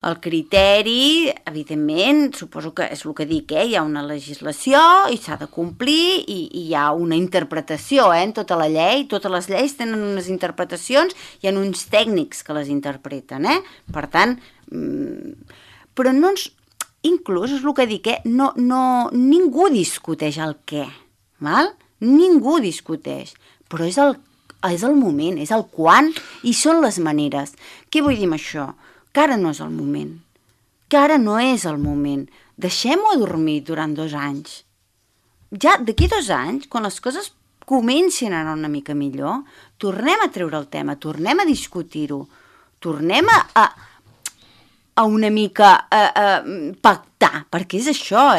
El criteri, evidentment, suposo que és el que dic, hi ha una legislació i s'ha de complir i hi ha una interpretació en tota la llei. Totes les lleis tenen unes interpretacions, hi ha uns tècnics que les interpreten, per tant, però no ens... Inclús és el que dic, ningú discuteix el què, val? Ningú discuteix, però és el moment, és el quan i són les maneres. Què vull dir amb això? Que ara no és el moment, que ara no és el moment. Deixem-ho dormir durant 2 anys. Ja d'aquí 2 anys, quan les coses comencin a anar una mica millor, tornem a treure el tema, tornem a discutir-ho, tornem a una mica pactar, perquè és això,